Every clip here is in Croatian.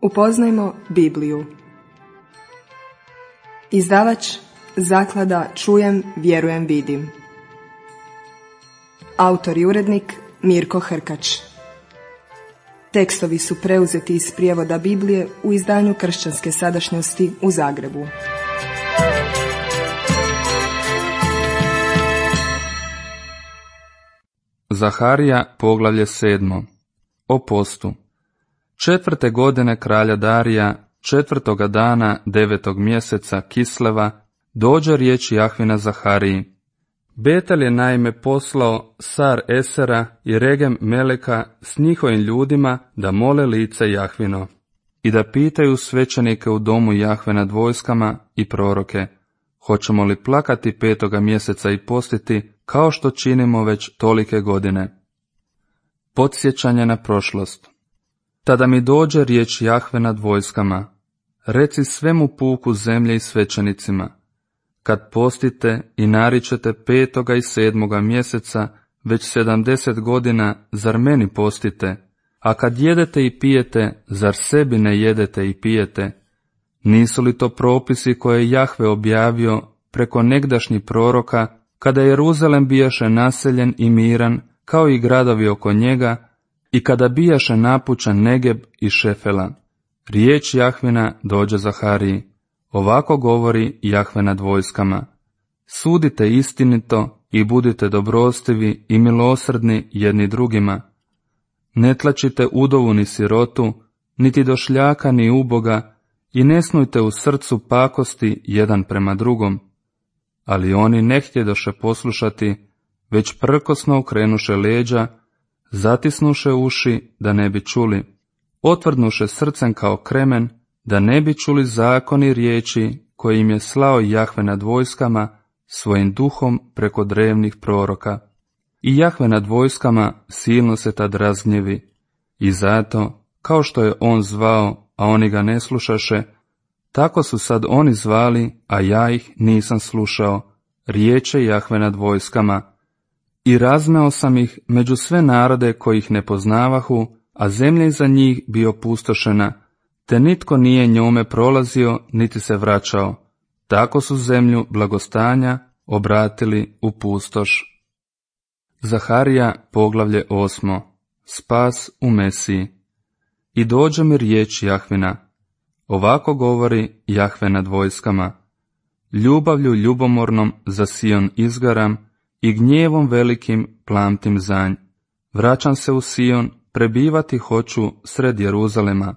Upoznajmo Bibliju. Izdavač Zaklada Čujem, vjerujem, vidim. Autor i urednik Mirko Hrkač. Tekstovi su preuzeti iz prijevoda Biblije u izdanju Kršćanske sadašnjosti u Zagrebu. Zaharija, poglavlje 7. O postu. 4. godine kralja Darija, 4. dana 9. mjeseca Kisleva, dođe riječ Jahvina Zahariji. Betel je naime poslao Sar Esera i Regem Meleka s njihovim ljudima da mole lice Jahvino i da pitaju svećenike u domu Jahve nad vojskama i proroke, hoćemo li plakati 5. mjeseca i postiti kao što činimo već tolike godine. Podsjećanje na prošlost. Tada mi dođe riječ Jahve nad vojskama, reci svemu puku zemlje i svećenicima, kad postite i naričete 5. i 7. mjeseca već 70 godina, zar meni postite, a kad jedete i pijete, zar sebi ne jedete i pijete? Nisu li to propisi koje je Jahve objavio preko negdašnjih proroka, kada Jeruzalem bijaše naseljen i miran, kao i gradovi oko njega, i kada bijaše napučen Negeb i Šefela? Riječ Jahvina dođe Zahariji. Ovako govori Jahve nad vojskama. Sudite istinito i budite dobrostivi i milosrdni jedni drugima. Ne tlačite udovu ni sirotu, niti došljaka ni uboga, i ne snujte u srcu pakosti jedan prema drugom. Ali oni ne htjedoše poslušati, već prkosno okrenuše leđa, zatisnuše uši da ne bi čuli, otvrdnuše srcem kao kremen, da ne bi čuli zakon i riječi koje im je slao Jahve nad vojskama svojim duhom preko drevnih proroka. I Jahve nad vojskama silno se tad razgnjevi, i zato, kao što je on zvao, a oni ga ne slušaše, tako su sad oni zvali, a ja ih nisam slušao, riječe Jahve nad vojskama. I razmeo sam ih među sve narode koji ih ne poznavahu, a zemlja iza njih bi opustošena, te nitko nije njome prolazio niti se vraćao. Tako su zemlju blagostanja obratili u pustoš. Zaharija, poglavlje 8. Spas u Mesiji. I dođe mi riječ Jahvina. Ovako govori Jahve nad vojskama. Ljubavlju ljubomornom za Sion izgaram i gnjevom velikim plamtim zanj. Vraćam se u Sion, prebivati hoću sred Jeruzalema.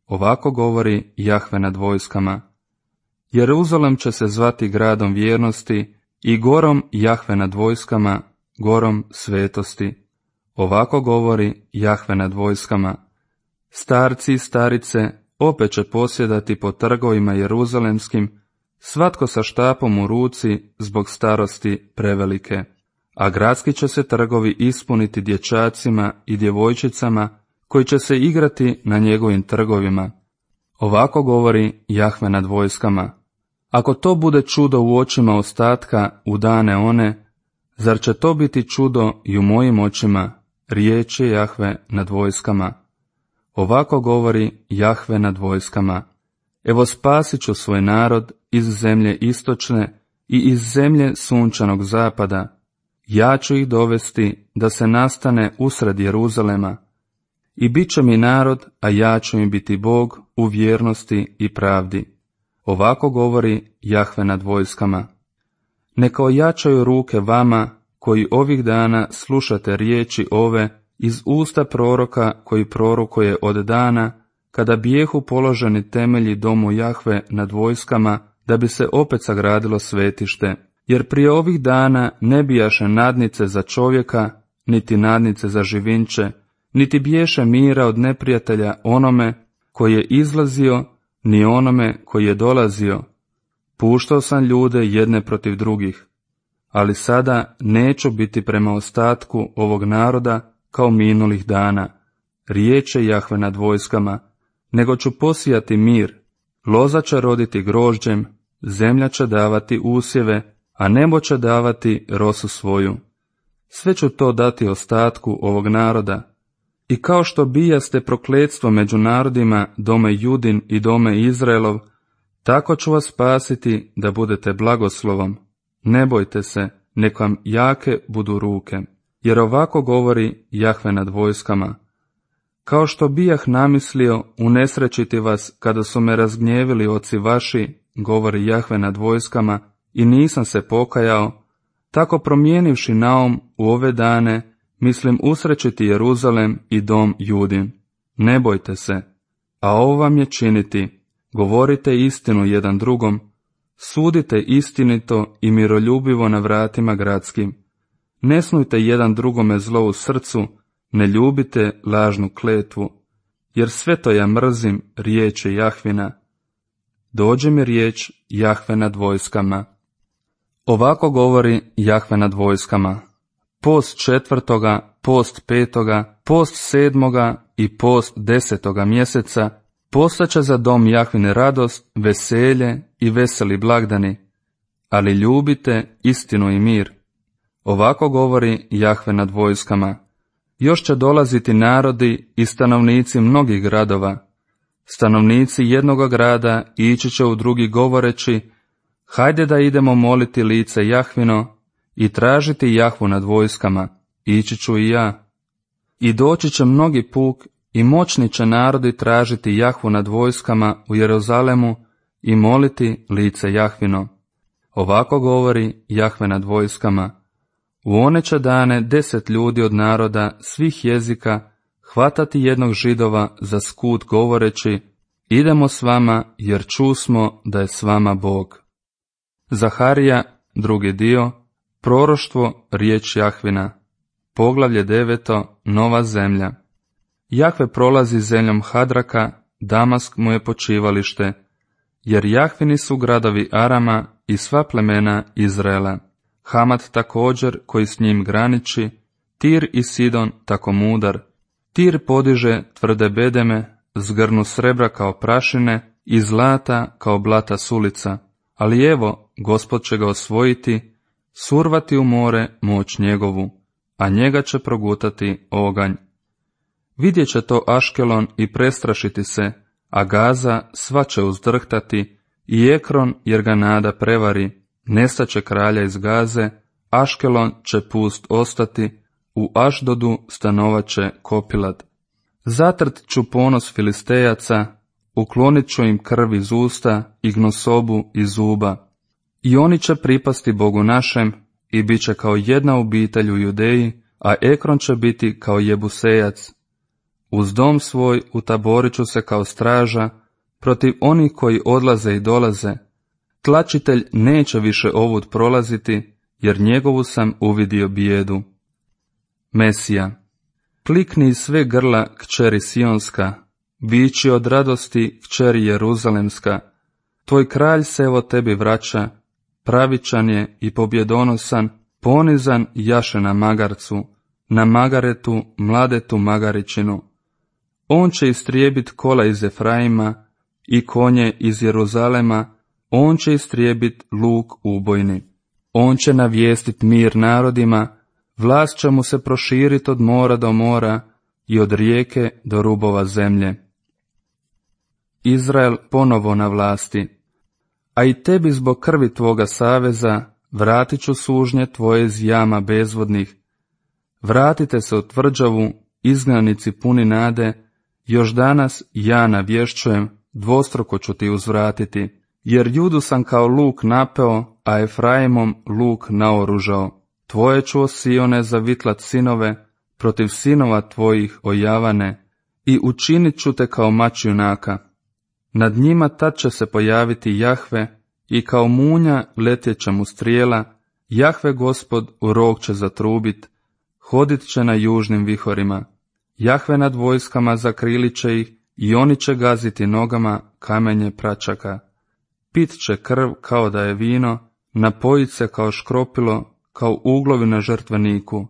Ovako govori Jahve nad vojskama. Jeruzalem će se zvati gradom vjernosti i gorom Jahve nad vojskama, gorom svetosti. Ovako govori Jahve nad vojskama. Starci i starice opet će posjedati po trgovima jeruzalemskim, svatko sa štapom u ruci zbog starosti prevelike, a gradski će se trgovi ispuniti dječacima i djevojčicama koji će se igrati na njegovim trgovima. Ovako govori Jahve nad vojskama. Ako to bude čudo u očima ostatka u dane one, zar će to biti čudo i u mojim očima, riječ je Jahve nad vojskama. Ovako govori Jahve nad vojskama. Evo spasit ću svoj narod iz zemlje istočne i iz zemlje sunčanog zapada. Ja ću ih dovesti da se nastane usred Jeruzalema. I bit će mi narod, a ja ću im biti Bog u vjernosti i pravdi. Ovako govori Jahve nad vojskama. Neka ojačaju ruke vama, koji ovih dana slušate riječi ove iz usta proroka koji prorokuje od dana, kada bijehu položeni temelji domu Jahve nad vojskama, da bi se opet sagradilo svetište, jer prije ovih dana ne bijaše nadnice za čovjeka, niti nadnice za živinče, niti biješe mira od neprijatelja onome koji je izlazio, ni onome koji je dolazio. Puštao sam ljude jedne protiv drugih, ali sada neću biti prema ostatku ovog naroda kao minulih dana, riječ je Jahve nad vojskama, nego ću posijati mir, loza će roditi grožđem, zemlja će davati usjeve, a nebo će davati rosu svoju. Sve ću to dati ostatku ovog naroda, I kao što bijaste prokletstvo među narodima, dome Judin i dome Izraelov, tako ću vas spasiti da budete blagoslovom. Ne bojte se, nek vam jake budu ruke. Jer ovako govori Jahve nad vojskama. Kao što bijah namislio unesrećiti vas kada su me razgnjevili oci vaši, govori Jahve nad vojskama, i nisam se pokajao, tako promijenivši naum u ove dane, mislim usrećiti Jeruzalem i dom Judin. Ne bojte se, a ovo vam je činiti, govorite istinu jedan drugom, sudite istinito i miroljubivo na vratima gradskim. Ne snujte jedan drugome zlo u srcu, ne ljubite lažnu kletvu, jer sve to ja mrzim, riječ je Jahvina. Dođe mi riječ Jahve nad vojskama. Ovako govori Jahve nad vojskama. Post 4., post 5., post 7. i post 10. mjeseca postaće za dom Jahvine radost, veselje i veseli blagdani, ali ljubite istinu i mir. Ovako govori Jahve nad vojskama. Još će dolaziti narodi i stanovnici mnogih gradova. Stanovnici jednoga grada ići će u drugi govoreći, hajde da idemo moliti lice Jahvino i tražiti Jahvu nad vojskama, ići ću i ja. I doći će mnogi puk i moćni će narodi tražiti Jahvu nad vojskama u Jeruzalemu i moliti lice Jahvino. Ovako govori Jahve nad vojskama. U one će dane 10 ljudi od naroda svih jezika hvatati jednog Židova za skut govoreći, idemo s vama jer čusmo da je s vama Bog. Zaharija, 2. dio, proroštvo, riječ Jahvina. Poglavlje 9. Nova zemlja. Jahve prolazi zemljom Hadraka, Damask mu je počivalište, jer Jahvini su gradovi Arama i sva plemena Izraela. Hamat također koji s njim graniči, Tir i Sidon tako mudar. Tir podiže tvrde bedeme, zgrnu srebra kao prašine i zlata kao blata sulica. Ali evo, Gospod će ga osvojiti, survati u more moć njegovu, a njega će progutati oganj. Vidjet će to Aškelon i prestrašiti se, a Gaza sva će uzdrhtati, i Ekron jer ga nada prevari, nestaće kralja iz Gaze, Aškelon će pust ostati, u Ašdodu stanovat će Kopilad. Zatrt ću ponos Filistejaca, uklonit ću im krv iz usta i gnosobu iz zuba. I oni će pripasti Bogu našem i bit će kao jedna obitelj u Judeji, a Ekron će biti kao Jebusejac. Uz dom svoj utaborit ću se kao straža protiv onih koji odlaze i dolaze. Tlačitelj neće više ovud prolaziti, jer njegovu sam uvidio bijedu. Mesija. Klikni iz sve grla, kćeri Sionska, viči od radosti, kćeri Jeruzalemska. Tvoj kralj se evo tebi vraća, pravičan je i pobjedonosan, ponizan jaše na magarcu, na magaretu, mladetu magaričinu. On će istrijebit kola iz Efraima i konje iz Jeruzalema, on će istrijebit luk ubojni. On će navijestit mir narodima, vlast će mu se proširit od mora do mora i od rijeke do rubova zemlje. Izrael ponovo na vlasti. A i tebi zbog krvi tvoga saveza vratit ću sužnje tvoje iz jama bezvodnih. Vratite se u tvrđavu, izgnanici puni nade, još danas ja navješćujem, dvostruko ću ti uzvratiti, jer Judu sam kao luk napeo, a Efraimom luk naoružao. Tvoje ću, o Sione, zavitlat sinove, protiv sinova tvojih ojavane, i učinit ću te kao mač junaka. Nad njima tad će se pojaviti Jahve, i kao munja letjet će mu strijela, Jahve Gospod u rog će zatrubit, hodit će na južnim vihorima. Jahve nad vojskama zakrilit će ih, i oni će gaziti nogama kamenje pračaka. Pit će krv kao da je vino, napojit se kao škropilo, kao uglovi na žrtveniku.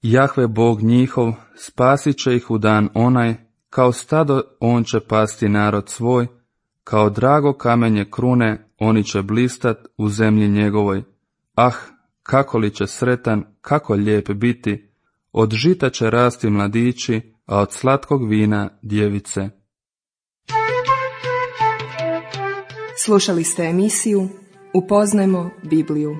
Jahve Bog njihov spasit će ih u dan onaj, kao stado on će pasti narod svoj, kao drago kamenje krune oni će blistat u zemlji njegovoj. Ah, kako li će sretan, kako lijep biti, od žita će rasti mladići, a od slatkog vina djevice. Slušali ste emisiju Upoznajmo Bibliju.